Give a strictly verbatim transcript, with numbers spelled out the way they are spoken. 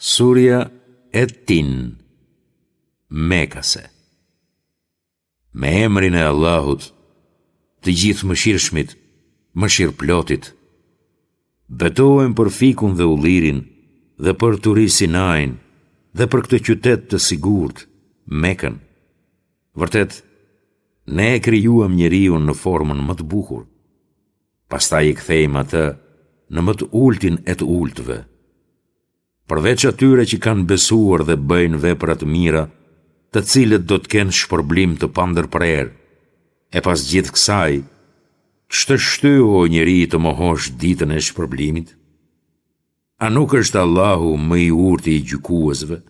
Surja Et-Tin, Mekase. Me emrin e Allahut, të Gjithëmëshirshmit, mëshirëplotit. Betohem për fikun dhe ullirin dhe për Turi Sinain dhe për këtë qytet të sigurt, Mekën. Vërtet, ne e krijuam njeriun në formën më të bukur. Pastaj e kthejmë atë në më të ultin e të ultëve. Përveç atyre që kanë besuar dhe bëjnë vepra të mira, të cilët do të kenë shpërblim të pandërprerë. E pas gjithë kësaj, ç'të shtyu o njeri të mohosh ditën e shpërblimit? A nuk është Allahu më i urti i gjykuesve?